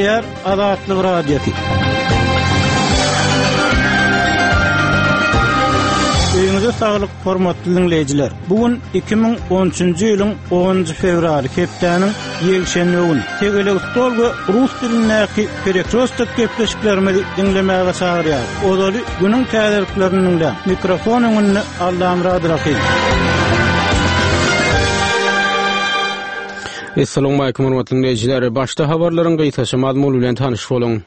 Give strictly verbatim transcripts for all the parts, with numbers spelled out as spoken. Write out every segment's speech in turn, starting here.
Gepleýär Azatlyk Radiosy. Öýüňize saglyk, hormatly dinleýjiler. Bu gün iki müň on üçünji ýylyň onunjy fewraly, hepdäniň ýekşenbe güni. Tegelek stol we rus dilindäki perekrostok gepleşiklerimizi dinlemäge çagyrýar. Ozaly günüň täzeliklerini dinläň. Mikrofon öňünde Allamurad Rahim. Assalamu alaykum hormatly dinleýjiler. Başda habarlaryň gysgaça mazmuny bilen tanyş boluň.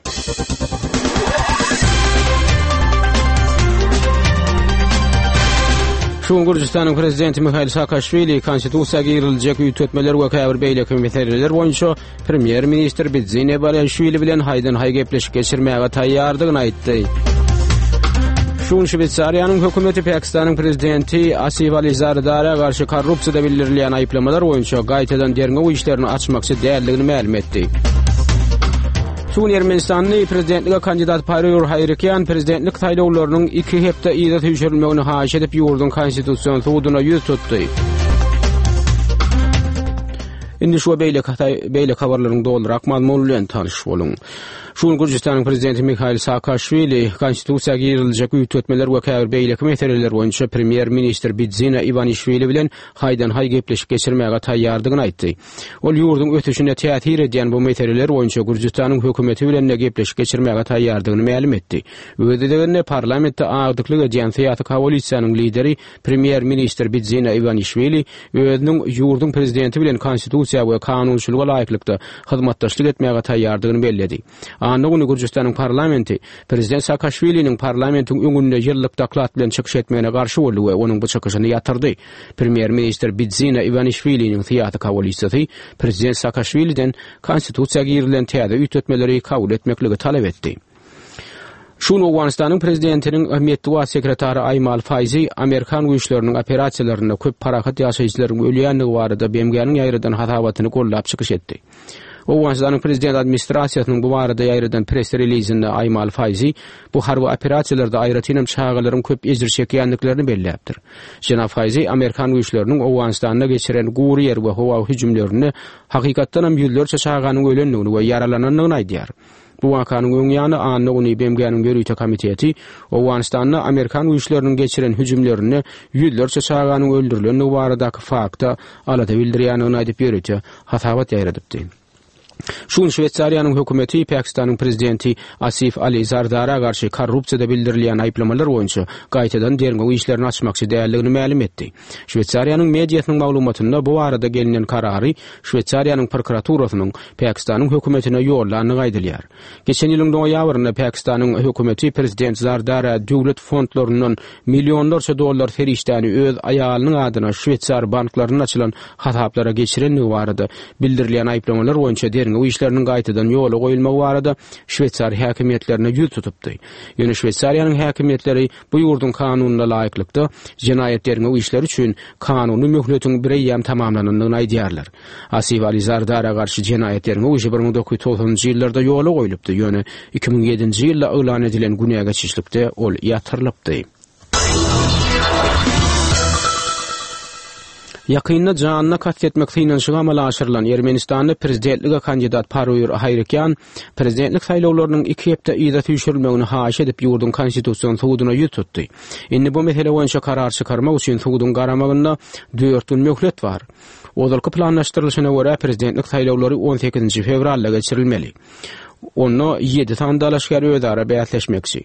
Şu gün Gürjüstanyň prezidenti Mihail Saakaşwili konstitusiýa giriziljek üýtgetmeler we käbir beýleki meseleler boýunça premýer-ministr Bidzina Iwanişwili bilen haýdan-haý gepleşik geçirmäge taýýardygyny aýtdy. Şu gün Şweýsariýanyň hökümeti Pakistanyň prezidenti Asif Ali Zardara garşy korrupsiýada bildirilýän aýyplamalar boýunça gaýtadan derňew işlerini açmakçy däldigini mälim etdi. Şu gün Ermenistanly prezidentlige kandidat Paruyr Hayrikyan prezidentlik saýlawlarynyň iki hepde yza süýşürilmegini haýyş edip ýurduň konstitusion suduna ýüz tutdy. Indi şu beýleki beýleki habarlaryň dolurak mazmuny bilen tanyş boluň. Şu gün Gürjüstanyň prezidenti Mihail Saakaşwili konstitusiýa giriziljek üýtgetmeler we käbir beýleki meseleler boýunça premýer-ministr Bidzina Iwanişwili bilen haýdan-haý gepleşik geçirmäge taýýardygyny aýtdy. Ol ýurduň ösüşine täsir edýän bu meseleler boýunça Gürjüstanyň hökümeti bilen de gepleşik geçirmäge taýýardygyny mälim etdi. Öz gezeginde parlamentde agdyklyk edýän syýasy koalisiýanyň lideri premýer-ministr Bidzina Iwanişwili özüniň ýurduň prezidenti bilen konstitusiýa we kanunçylyga laýyklykda hyzmatdaşlyk etmäge taýýardygyny belledi. Anna güni Gürjüstanyň parlamenti prezident Saakaşwiliniň parlamentiň öňünde ýyllyk doklad bilen çykyş etmegine garşy boldy we onuň bu çykyşyny ýatyrdy. Premýer-ministr Bidzina Iwanişwiliniň syýasy koalisiýasy prezident Saakaşwiliden konstitusiýa girizilen täze üýtgetmeleri kabul etmekligi talap etdi. Şu gün Owganystanyň prezidentiniň metbugat sekretary Aýmal Faýzi Amerikan güýçleriniň operasiýalarynda köp parahat ýaşaýjylaryň ölýändigi barada B M G-niň ýaýradan hasabatyny gollap çykyş etdi. Owganystanyň prezident administrasiýasynyň bu barada ýaýradan press releasinde Aýmal Faýzi bu harby operasiýalarda aýratynam çagalaryň köp ejir çekýändiklerini belläpdir. Jenap Faýzi Amerikan güýçleriniň Owganystanda geçiren gury ýer we howa hüjümlerinde hakykatdanam ýüzlerçe çaganyň ölendigini we ýaralanandygyny aýdýar. Bu wakanyň öň ýany Anna güni B M G-niň ýörite komiteti Owganystanda Amerikan güýçleriniň geçiren hüjümlerinde ýüzlerçe çaganyň öldürilendigi baradaky fakta alada bildirýändigini aýdyp ýörite hasabat ýaýradypdy. Şu gün Şweýsariýanyň hökümeti Pakistanyň prezidenti Asif Ali Zardara garşy korrupsiýada bildirilýän aýyplamalar boýunça gaýtadan derňew işlerini açmakçy däldigini mälim etdi. Şweýsariýanyň mediasynyň maglumatynda bu barada gelinen karary Şweýsariýanyň prokuraturasynyň Pakistanyň hökümetine ýollandygy aýdylýar. Geçen ýylyň noýabrynda Pakistanyň hökümeti prezident Zardara döwlet fondlaryndan millionlarça dollar serişdäni öz aýalynyň adyna Şweýsar banklarynda açylan hasaplara geçirendigi barada bildirilýän aýyplamalar boýunça derňew işleriniň gaýtadan ýola goýulmagy barada Şweýsar häkimiýetlerine ýüz tutupdy. Ýöne Şweýsariýanyň häkimiýetleri bu ýurduň kanunyna laýyklykda jenaýat derňew işleri üçin kanuny möhletiň bir eýýäm tamamlanandygyny aýdýarlar. Asif Ali Zardara garşy jenaýat derňew işi bir müň dokuz ýüz togsanynjy ýyllarda ýola goýlupdy. Ýöne iki müň ýedinji ýylda yglan edilen günä geçişlikde ol ýatyrylypdy. Ýakynda janyna kast etmek synanyşygy amala aşyrylan Ermenistanda prezidentlige kandidat Paruyr Hayrikyan prezidentlik saýlawlarynyň iki hepde yza süýşürilmegini haýyş edip ýurduň konstitusion suduna ýüz tutdy. Indi bu mesele boýunça karar çykarmak üçin suduň garamagynda dört gün möhlet bar. Ozalky planlaşdyrylyşyna görä prezidentlik saýlawlary on sekizinji fewralda geçirilmeli. Onda ýedi sany dalaşgär özara bäsleşmekçi.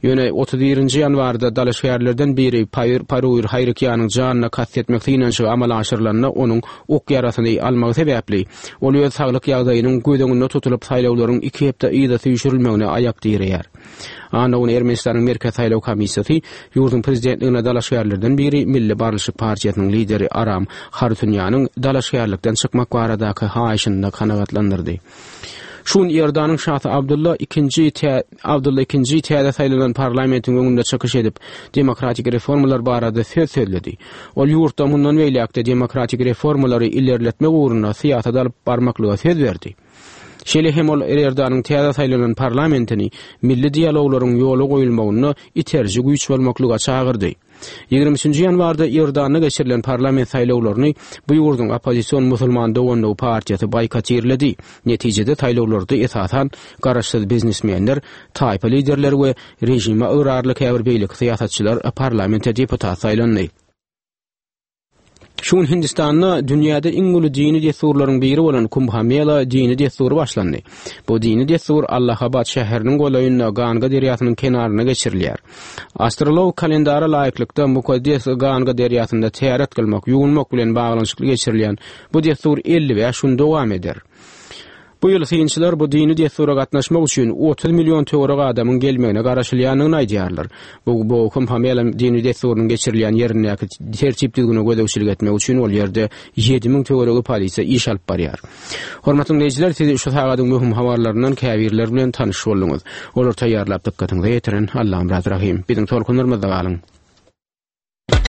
Ýöne otuz birinji ýanwarda dalaşgärlerden biri Paruyr Haýrikýanyň janyna kast etmek synanyşygy amala aşyrylanda onuň ok ýarasyny almagy sebäpli ol öz saglyk ýagdaýynyň göz öňünde tutulyp saýlawlaryň iki hepde yza süýşürilmegine aýak direýär. Anna güni Ermenistanyň Merkez Saýlaw Komissiýasy ýurduň prezidentligine dalaşgärlerden biri Milli Barlyşyk partiýasynyň lideri Aram Harutyunýanyň dalaşgärlikden çykmak baradaky haýyşyny kanagatlandyrdy. Şu gün Iordanyň şasy Abdulla ikinji tä-, Abdulla ikinji täze saýlanan parlamentiň öňünde çykyş edip, demokratik reformalar barada söz sözledi. Ol ýurtda mundan beýläkde demokratik reformalary ilerletmek ugrunda syýasat alyp barmaklyga söz berdi. Şeýle hem ol Iordanyň täze saýlanan parlamentini milli dialoglaryň ýola goýulmagyna iterji güýç bolmaklyga çagyrdy. Ýigrimi üçünji ýanwarda Iordanda geçirilen parlament saýlawlaryny bu ýurduň oppozision Musulman doganlygy partiýasy boýkotirledi. Netijede saýlawlarda esasan garaşsyz biznesmenler, taýpa liderleri we režime ygrarly käbir beýleki syýasatçylar parlamente deputat saýlandy. Şu gün Hindistanda dünýäde iň uly dini dessurlaryň biri bolan Kumbha Mela dini dessury başlandy. Bu dini dessur Allahabad şäheriniň golaýynda Ganga derýasynyň kenarynda geçirilýär. Astrologik kalendara laýyklykda mukaddes Ganga derýasynda täret kylmak, ýuwunmak bilen baglanyşykly geçirilýän bu dessur elli bäş gün dowam eder. Bu ýyl synçylar bu dini dessura gatnaşmak üçin otuz million töweregi adamyň gelmegine garaşylýandygyny aýdýarlar. Bu bu Kumbha Mela dini dessurynyň geçirilýän ýerindäki tertip-düzgüne gözegçilik etmek üçin ol ýerde ýedi müň töweregi polisiýa iş alyp barýar. Hormatly diňleýjiler, siz şu sagadyň möhüm habarlaryndan käbirleri bilen tanyş bolduňyz. Olary taýýarlap dykgatyňyza ýetiren Allamyrat Rahym. Biziň tolkunlarymyzda galyň.